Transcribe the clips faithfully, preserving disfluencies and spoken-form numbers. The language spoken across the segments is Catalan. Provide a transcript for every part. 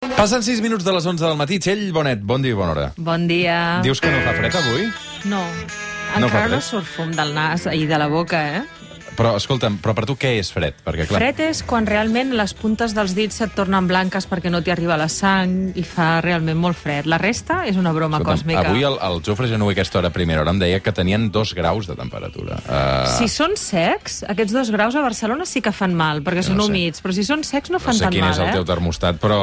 Passen sis minuts de les onze del matí. Txell Bonet, bon dia i bona hora. Bon dia. Dius que no fa fred avui? No. No fa Encara no fred? surt fum del nas i de la boca, eh? Però, escolta'm, però per tu què és fred? Perquè, clar, Fred és quan realment les puntes dels dits se't tornen blanques perquè no t'hi arriba la sang i fa realment molt fred. La resta és una broma escolta'm, còsmica. avui el, el Jofre Genuer a aquesta hora a primera hora em deia que tenien dos graus de temperatura. Uh, Si són secs, aquests dos graus a Barcelona sí que fan mal, perquè Jo són no sé. humits, però si són secs no no fan sé tan quin mal, és el eh? teu termostat, però...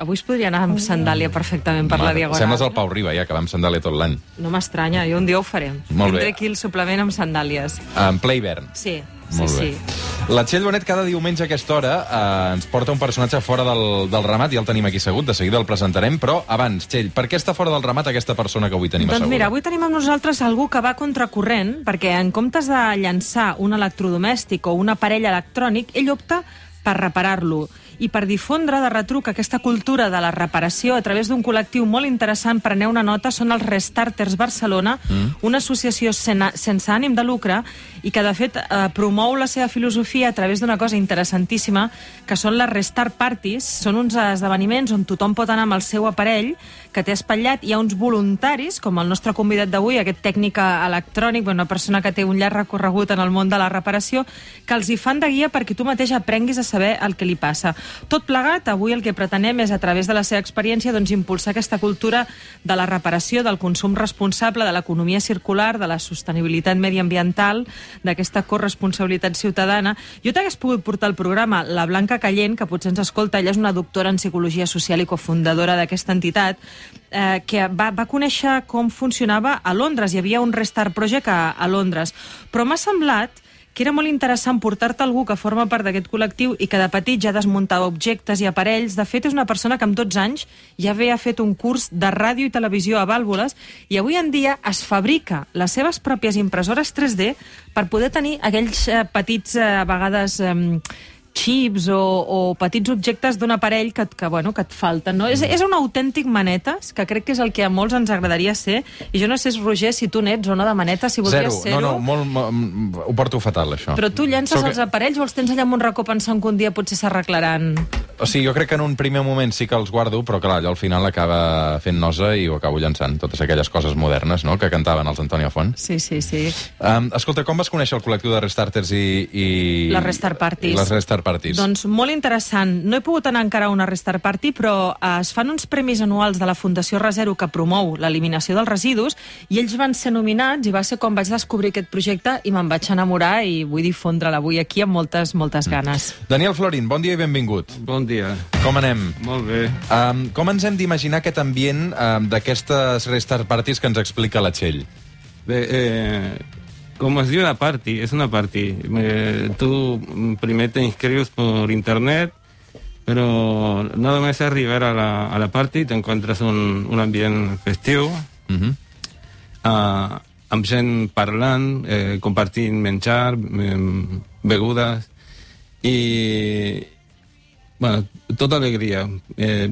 Avui es podria anar amb sandàlia perfectament per la Mare, Diagonal. sembles el Pau Riba, ja, que va amb sandàlia tot l'any. No m'estranya, jo un dia ho farem. Molt bé. Tindré aquí el suplement amb sandàlies. En ple hivern. Sí, sí, Molt bé. sí. La Txell Bonet cada diumenge a aquesta hora eh, ens porta un personatge fora del, del ramat, ja el tenim aquí assegut, de seguida el presentarem, però abans, Txell, per què està fora del ramat aquesta persona que avui tenim Doncs asseguda? mira, avui tenim amb nosaltres algú que va contracorrent, perquè en comptes de llançar un electrodomèstic o un aparell electrònic, ell opta per reparar-lo i per difondre de retruc aquesta cultura de la reparació a través d'un col·lectiu molt interessant, preneu una nota, són els Restarters Barcelona, mm. una associació sen sense ànim de lucre i que, de fet, eh, promou la seva filosofia a través d'una cosa interessantíssima, que són les Restart Parties. Són uns esdeveniments on tothom pot anar amb el seu aparell que té espatllat. Hi ha uns voluntaris, com el nostre convidat d'avui, aquest tècnic electrònic, una persona que té un llarg recorregut en el món de la reparació, que els hi fan de guia perquè tu mateix aprenguis a saber el que li passa. Tot plegat, avui el que pretenem és, a través de la seva experiència, doncs, impulsar aquesta cultura de la reparació, del consum responsable, de l'economia circular, de la sostenibilitat mediambiental, d'aquesta corresponsabilitat ciutadana. Jo t'hagués pogut portar al programa la Blanca Callent, que potser ens escolta, ella és una doctora en psicologia social i cofundadora d'aquesta entitat, eh, que va, va conèixer com funcionava a Londres. Hi havia un Restart Project a, a Londres. Però m'ha semblat que era molt interessant portar-te algú que forma part d'aquest col·lectiu i que de petit ja desmuntava objectes i aparells. De fet, és una persona que amb dotze anys ja havia fet un curs de ràdio i televisió a vàlvules i avui en dia es fabrica les seves pròpies impressores tres D per poder tenir aquells eh, petits, eh, a vegades... Eh, xips o, o petits objectes d'un aparell que, que, bueno, que et falten, no? És, és un autèntic manetes, que crec que és el que a molts ens agradaria ser, i jo no sé, Roger, si tu n'ets o no de manetes, si voldries Zero. ser-ho. No, no, molt, molt, ho porto fatal, això. Però tu llences Soc... els aparells o els tens allà amb un racó pensant que un dia potser s'arreglaran? O sigui, jo crec que en un primer moment sí que els guardo, però clar, allò al final acaba fent nosa i ho acabo llançant. Totes aquelles coses modernes, no?, que cantaven els Antonio Font. Sí, sí, sí. Um, escolta, com vas conèixer el col·lectiu de Restarters i... i... Les Restart Parties. I les Restart Parties. Doncs molt interessant. No he pogut anar encara a una Restart Party, però eh, es fan uns premis anuals de la Fundació Resero que promou l'eliminació dels residus i ells van ser nominats i va ser quan vaig descobrir aquest projecte i me'n vaig enamorar i vull difondre'l avui aquí amb moltes, moltes ganes. Daniel Florin, bon dia i benvingut. Bon dia. Com anem? Molt bé. Um, com ens hem d'imaginar aquest ambient um, d'aquestes Restart Parties que ens explica la Txell? Bé, eh, como es de una party, es una party. Eh, tú primero te inscribes por internet, pero nada más arribar a la, a la party te encuentras un, un ambient festiu, Uh-huh. uh, amb gent parlant, eh, compartint menjar, eh, begudes, i, bueno, tota alegria. Eh,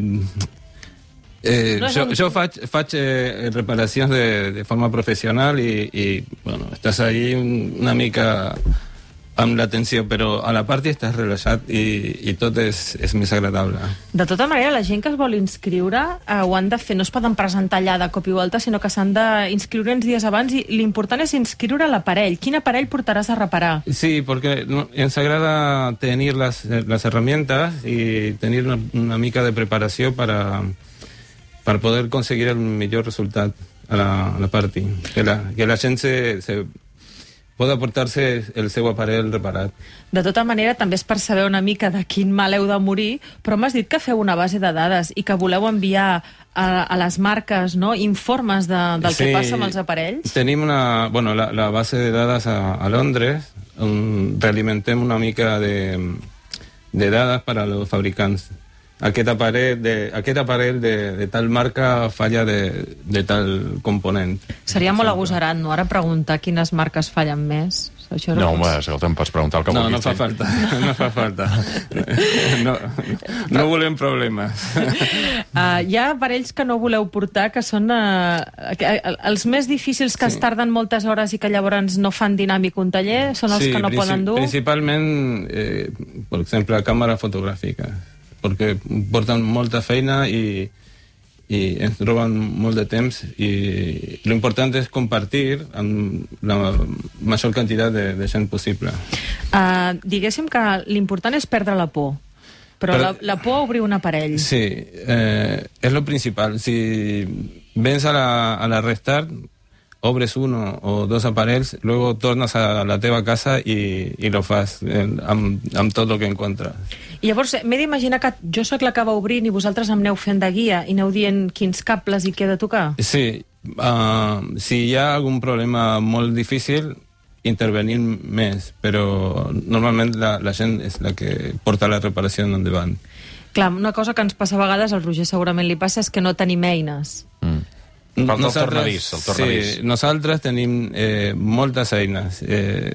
Eh, No és jo, un- jo faig, faig eh, reparacions de, de forma professional i, i bueno, estàs ahí un, una mica amb l'atenció, però a la part estàs relaxat i, i tot és, és més agradable. De tota manera, la gent que es vol inscriure eh, ho han de fer, no es poden presentar allà de cop i volta, sinó que s'han d'inscriure uns dies abans i l'important és inscriure l'aparell. Quin aparell portaràs a reparar? Sí, porque no, ens agrada tenir les, les herramientas y tener una, una mica de preparació para, para poder conseguir el millor resultat a la, a la party. Que la, que la gent se, se pot aportar-se el seu aparell reparat. De tota manera, també és per saber una mica de quin mal heu de morir, però m'has dit que feu una base de dades i que voleu enviar a, a les marques, no?, informes de, del Sí, que passa amb els aparells. Tenim una, bueno, la, la base de dades a, a Londres, on realimentem una mica de, de dades per als fabricants. Aquest aparell de, aquest aparell de, de tal marca falla de, de tal component. Seria molt agosarat, no?, ara preguntar quines marques fallen més. Això No, home, escolta, em pots preguntar el que No, vulguis. no fa falta, no fa falta. No, no volem problemes. Uh, hi ha aparells que no voleu portar, que són uh, els més difícils, que sí. es tarden moltes hores i que llavors no fan dinàmic un taller, són els Sí, que no princip poden dur? principalment, eh, per exemple, càmera fotogràfica. perquè porten molta feina i, i ens roben molt de temps, i l'important és compartir amb la major quantitat de, de gent possible. Uh, diguéssim que l'important és perdre la por, però, però la, la por a obrir un aparell. Sí, eh, és lo principal. Si vens a la, a la Restart, obres uno o dos aparells, luego tornes a la teva casa i, i lo fas eh, amb, amb tot el que encontres. I llavors m'he d'imaginar que jo sóc la que va obrint i vosaltres em aneu fent de guia i aneu dient quins cables hi queda a tocar? Sí, uh, si hi ha algun problema molt difícil, intervenir més, però normalment la, la gent és la que porta la reparació endavant. Clar, una cosa que ens passa a vegades, al Roger segurament li passa, és que no tenim eines. Mm. Falta el tornavís, el tornavís. Sí, nosaltres tenim eh, moltes eines. Eh,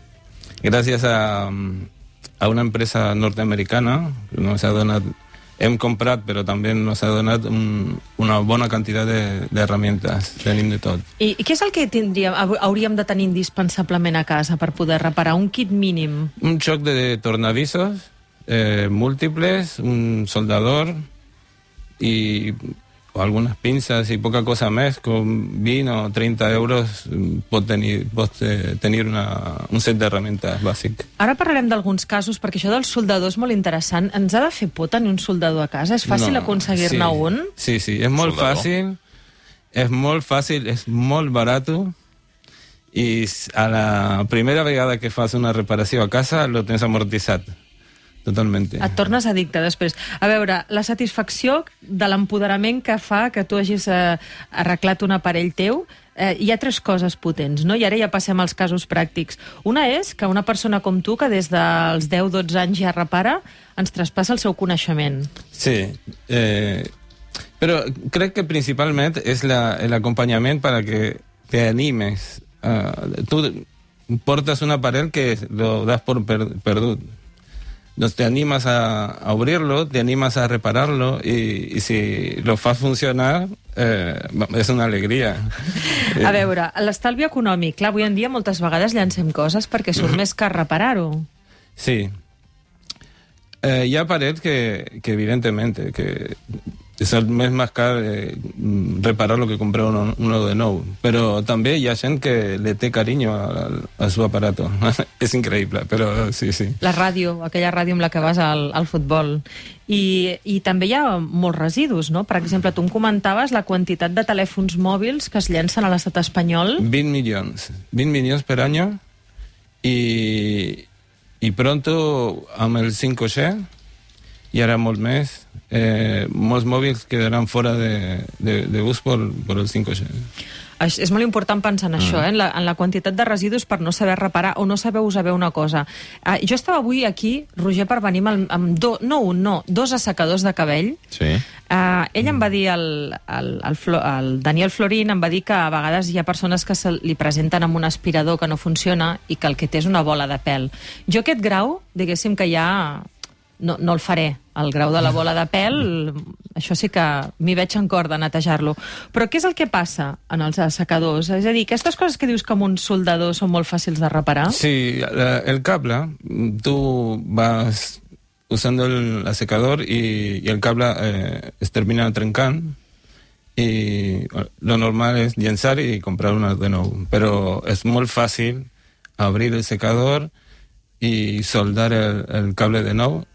gràcies a, a una empresa nord-americana que nos ha donat, hem comprat, però també nos ha donat un, una bona quantitat d'herramientes. De, tenim de tot. I, I què és el que tindríem, hauríem de tenir indispensablement a casa per poder reparar? Un kit mínim? Un xoc de tornavisos eh, múltiples, un soldador i o algunes pinces i poca cosa més, com vint o trenta euros pot tenir, pot tenir una, un set d'herramientes bàsic. Ara parlarem d'alguns casos, perquè això del soldador és molt interessant. Ens ha de fer por tenir un soldador a casa? És fàcil no, aconseguir-ne sí, un? Sí, sí, és molt soldador. fàcil, és molt fàcil, és molt barat, i a la primera vegada que fas una reparació a casa lo tens amortitzat. Totalment. Et tornes addicte després. A veure, la satisfacció de l'empoderament que fa que tu hagis eh, arreglat un aparell teu, eh, hi ha tres coses potents, no? I ara ja passem als casos pràctics. Una és que una persona com tu, que des dels deu dotze anys ja repara, ens traspassa el seu coneixement. Sí, eh, però crec que principalment és l'acompanyament la, perquè te animes. Uh, tu portes un aparell que lo das por per, perdut. Entonces te animas a, a abrirlo, te animas a repararlo y, y si lo fas funcionar eh, és una alegria. A veure, l'estalvi econòmic. Clar, avui en dia moltes vegades llancem coses perquè surt més car reparar-ho. Sí. Eh, hi ha aparells que, que evidentemente, que és el més més car eh, reparar lo que comprar uno, uno de nou. Però també hi ha gent que le té carinyo a, a su aparato. És increïble, però sí, sí. La ràdio, aquella ràdio amb la que vas al, al futbol. I, I també hi ha molts residus, no? Per exemple, tu em comentaves la quantitat de telèfons mòbils que es llencen a l'estat espanyol. vint milions. vint milions per any i, i pronto amb el cinc G i ara molt més, eh, molts mòbils quedaran fora de, de, de ús per, per el cinc G. És, és molt important pensar en mm. això, eh? en, la, en la quantitat de residus per no saber reparar o no saber usar bé una cosa. Uh, jo estava avui aquí, Roger, per venir amb, amb do, no un, no, dos assecadors de cabell. Sí. Uh, ell em va dir, el, el, el, Flo, el Daniel Florín, em va dir que a vegades hi ha persones que se li presenten amb un aspirador que no funciona i que el que té és una bola de pèl. Jo aquest grau, diguéssim que ja no, no el faré. El grau de la bola de pèl, això sí que m'hi veig en cor de netejar-lo. Però què és el que passa en els assecadors? És a dir, aquestes coses que dius que amb un soldador són molt fàcils de reparar? Sí, el cable, tu vas usando el secador y, y el cable eh, es termina trencant y lo normal es llençar y comprar una de nou. Pero es molt fàcil abrir el secador y soldar el, el cable de nou.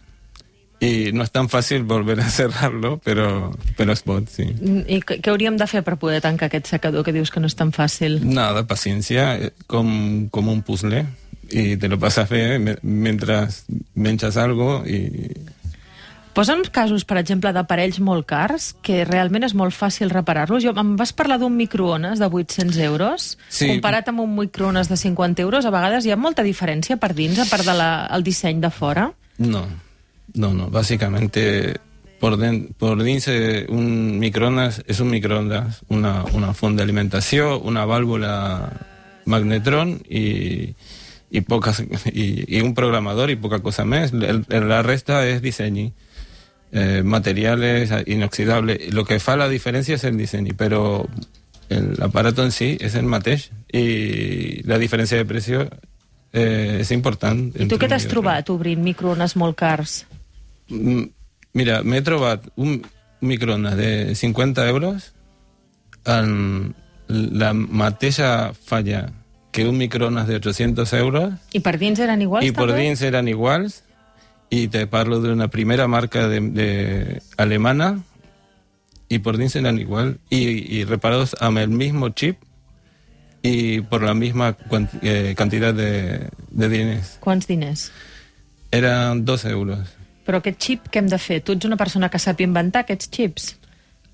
I no és tan fàcil volver a cerrar-lo, però, però es pot, sí. I què hauríem de fer per poder tancar aquest secador que dius que no és tan fàcil? Nada, paciència, com, com un puzzle, i te lo pasas bé mentre menges algo i... Posa'm casos, per exemple, d'aparells molt cars, que realment és molt fàcil reparar-los. Jo, em vas parlar d'un microones de vuit-cents euros, sí. Comparat amb un microones de cinquanta euros, a vegades hi ha molta diferència per dins, a part del de disseny de fora? No. No, no, básicamente por, den, por dins un microondas es un microondas, una, una font d'alimentació, una vàlvula magnetron i, i, poques, i, i un programador i poca cosa més. El, la resta és disseny, eh, materiales inoxidables. Lo que fa la diferència és el disseny, però l'aparat en si és el mateix i la diferència de precio eh, és important. I tu què t'has trobat obrint microones molt cars? Mira, m'he trobat un microones de cinquanta euros en la mateixa falla que un microones de ochocientos euros. I per dins eren iguals, I per també? dins eren iguals, i te parlo d'una primera marca de, de alemana, y por dins eran igual, y, y reparados amb el mismo chip y por la misma cuant, eh, cantidad de, de diners. Quants diners? Eren dos euros. Però aquest xip què hem de fer? Tu ets una persona que sap inventar aquests xips?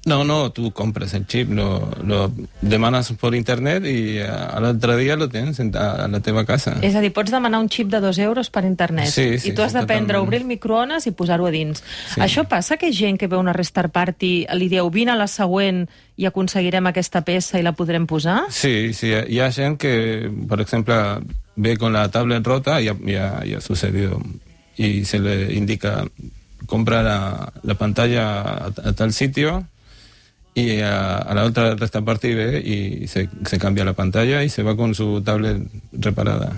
No, no, tú compras el chip, lo, lo demanas por internet y al otro día lo tens a la teva casa. És a dir, pots demanar un xip de dos euros per internet sí, sí, i tu has sí, d'aprendre a totalment. obrir el microones i posar-ho a dins. Sí. Això passa que gent que ve a una Restart Party li diu vine a la següent i aconseguirem aquesta peça i la podrem posar? Sí, sí, hi ha gent que, por ejemplo, ve con la tablet rota, y ha, ya, ya ha sucedido, y se le indica compra la, la pantalla a, a tal sitio, y a, a la otra Restart Party ve y se, se cambia la pantalla y se va con su tablet reparada.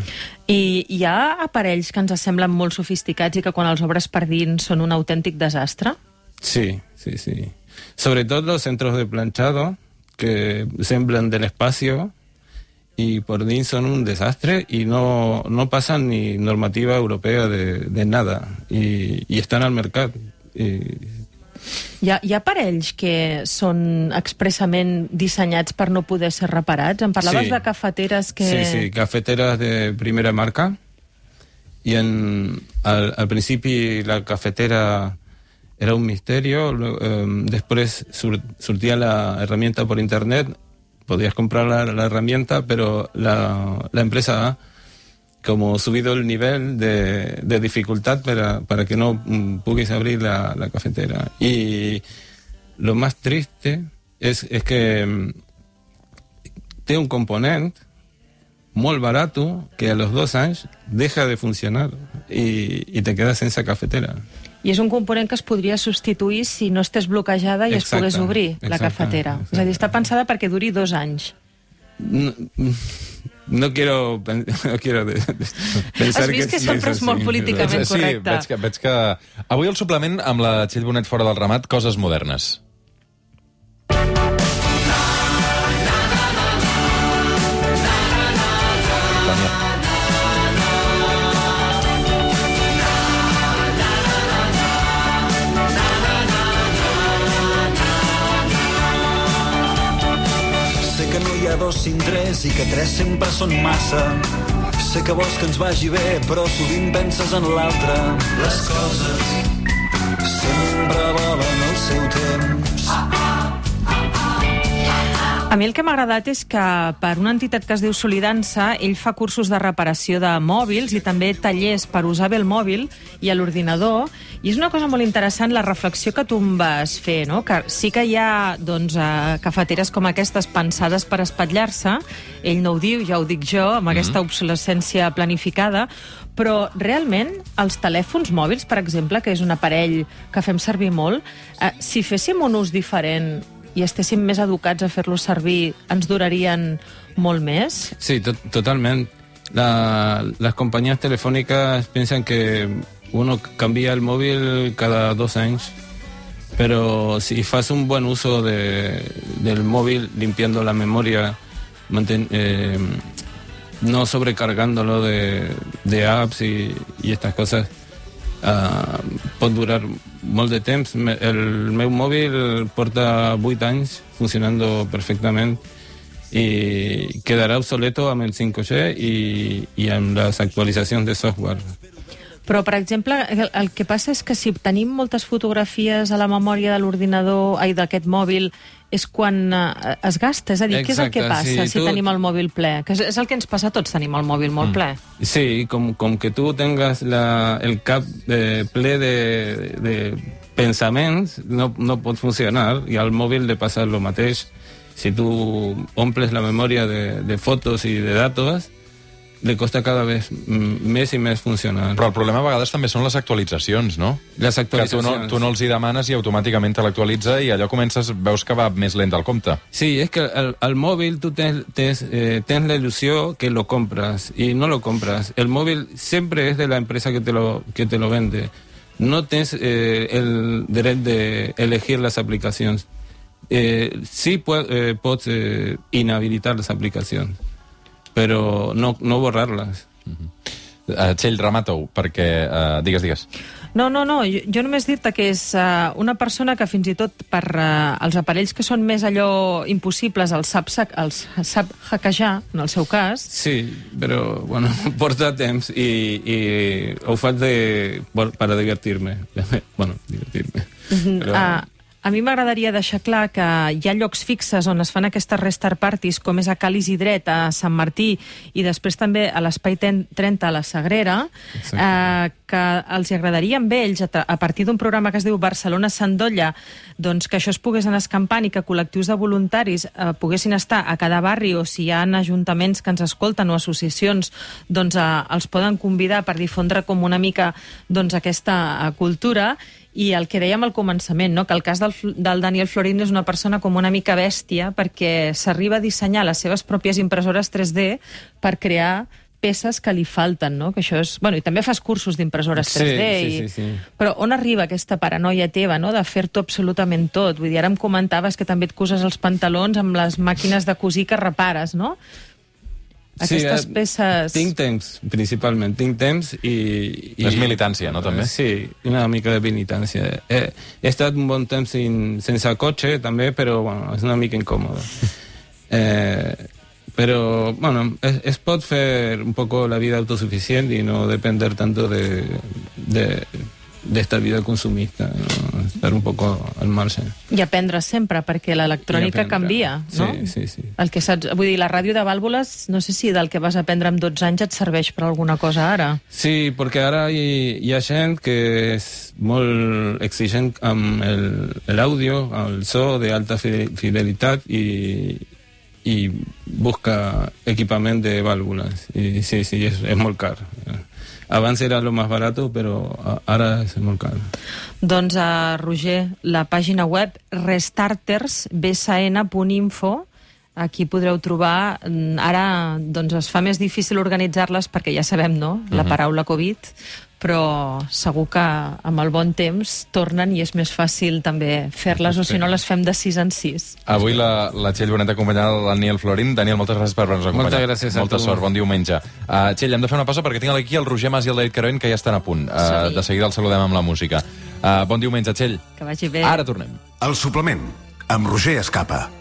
I hi ha aparells que ens semblen molt sofisticats i que quan els obres per dins són un autèntic desastre? Sí, sí, sí. Sobre todo los centros de planchado, que semblan del espacio y por dins son un desastre y no, no pasan ni normativa europea de, de nada, y, y están al mercado. Y, Hi ha, hi ha aparells que són expressament dissenyats per no poder ser reparats? Em parlaves Sí. de cafeteres que... Sí, sí, cafeteras de primera marca. Y en, al, al principio la cafetera era un misterio. Luego, eh, después sur, surtía la herramienta por internet. Podías comprar la, la herramienta, pero la, la empresa ha como subido el nivel de, de dificultad para, para que no mm, pudiese abrir la, la cafetera. Y lo más triste es, es que mm, tiene un componente muy barato que a los dos años deja de funcionar y, y te quedas en esa cafetera. I és un component que es podria substituir si no estés bloquejada i Exacte, es pogués obrir la exacte, cafetera. exacte. És a dir, està pensada perquè duri dos anys. No, no quiero, no quiero de, de pensar Has vist que sí, sempre és molt sí. políticament Sí, correcte. veig que, veig que... Avui el suplement amb la Txell Bonet fora del ramat, coses modernes. Sé que no hi ha dos sin tres i que tres sempre són massa. Sé que vols que ens vagi bé, però sovint penses en l'altre. Les coses sempre volen el seu temps. A mi el que m'ha agradat és que per una entitat que es diu Solidança ell fa cursos de reparació de mòbils i també tallers per usar bé el mòbil i a l'ordinador, i és una cosa molt interessant la reflexió que tu em vas fer, no? Que sí que hi ha doncs, eh, cafeteres com aquestes pensades per espatllar-se, ell no ho diu, ja ho dic jo, amb aquesta obsolescència planificada, però realment els telèfons mòbils, per exemple, que és un aparell que fem servir molt, eh, si féssim un ús diferent i estéssim més educats a fer-los servir, ens durarien molt més? Sí, to totalment. La, las compañías telefónicas piensan que uno cambia el móvil cada dos años, pero si haces un buen uso de, del móvil, limpiando la memoria, manten, eh, no sobrecargándolo de, de apps y, y estas cosas, uh, pot durar molt de temps. El meu mòbil porta vuit anys funcionando perfectament i quedarà obsoleto amb el cinc G i, i amb les actualitzacions de software. Però, per exemple, el, el que passa és que si tenim moltes fotografies a la memòria de l'ordinador, ai, d'aquest mòbil, és quan eh, es gasta. És a dir, Exacte, què és el que passa sí, si tu... tenim el mòbil ple? Que és, és el que ens passa a tots, tenim el mòbil molt ple. Sí, com, com que tu tengas la, el cap eh, ple de, de pensaments, no, no pot funcionar, i al mòbil le passa el mateix. Si tu omples la memòria de, de fotos i de datos, le costa cada vez més i més funcionar. Però el problema a vegades també són les actualitzacions, no? Les Que tu actualitzacions. no, tu no els hi demanes i automàticament te l'actualitza i allò comences, veus que va més lent al compte. Sí, es que al, al móvil tú tienes, tienes, eh, tienes la ilusión que lo compras y no lo compras. El móvil siempre es de la empresa que te lo, que te lo vende. no tens eh, el dret d'elegir les aplicacions. Eh, sí po eh, pots eh, inhabilitar les aplicacions, però no, no borrar-les. Uh-huh. uh, Txell, remata-ho, perquè... Uh, digues, digues. No, no, no, jo, jo només dir-te que és uh, una persona que fins i tot per uh, els aparells que són més allò impossibles els sap, els sap hackejar, en el seu cas. Sí, però, bueno, porta temps i, i ho faig de, per a divertir-me. Bueno, divertir-me. Però... Uh, a mi m'agradaria deixar clar que hi ha llocs fixes on es fan aquestes restart parties, com és a Cal Isidret, a Sant Martí, i després també a l'Espai trenta a la Sagrera, eh, que els agradaria amb ells, a partir d'un programa que es diu Barcelona Sandolla, doncs que això es pogués anar escampant i que col·lectius de voluntaris eh, poguessin estar a cada barri, o si hi ha ajuntaments que ens escolten o associacions, doncs eh, els poden convidar per difondre com una mica doncs, aquesta eh, cultura. I el que dèiem al començament, no? Que el cas del, del Daniel Florín és una persona com una mica bèstia perquè s'arriba a dissenyar les seves pròpies impressores tres D per crear peces que li falten, no? Que això és... Bueno, i també fas cursos d'impressores tres D. Sí, i... sí, sí, sí. Però on arriba aquesta paranoia teva, no?, de fer-t'ho absolutament tot? Vull dir, ara em comentaves que també et coses els pantalons amb les màquines de cosir que repares, no? Aquestes sí, peces... Tinc temps, principalment. Tinc temps i... i és militància, no, també? Sí, una mica de militància. He, he estat un bon temps sin, sense cotxe, també, però, bueno, és una mica incòmode. eh, però, bueno, es, es pot fer un poco la vida autosuficient i no depender tanto de... de d'esta vida consumista, no? Estar un poco al marge. I aprendre sempre, perquè l'electrònica canvia, no? Sí, sí, sí. El que saps, vull dir, la ràdio de vàlvules, no sé si del que vas aprendre amb dotze anys et serveix per alguna cosa ara. Sí, perquè ara hi, hi ha gent que és molt exigent amb l'àudio, el so d'alta fidelitat i, i busca equipament de vàlvules. I sí, sí, és, és molt car. Abans era lo más barato, però ara és molt car. Doncs, uh, Roger, la pàgina web restarters b s n punt info, aquí podreu trobar... Ara doncs, es fa més difícil organitzar-les perquè ja sabem, no?, la paraula Covid, però segur que amb el bon temps tornen i és més fàcil també fer-les, o si no les fem de sis en sis. Avui la, la Txell Bonet acompanyada del Daniel Florín. Daniel, moltes gràcies per haver-nos acompanyat. Moltes gràcies a Molta tu. sort, bon diumenge. Uh, Txell, hem de fer una pausa perquè tinc aquí el Roger Mas i el David Caroen que ja estan a punt. Uh, de seguida els saludem amb la música. Uh, bon diumenge, Txell. Que vagi bé. Ara tornem. El suplement, amb Roger Escapa.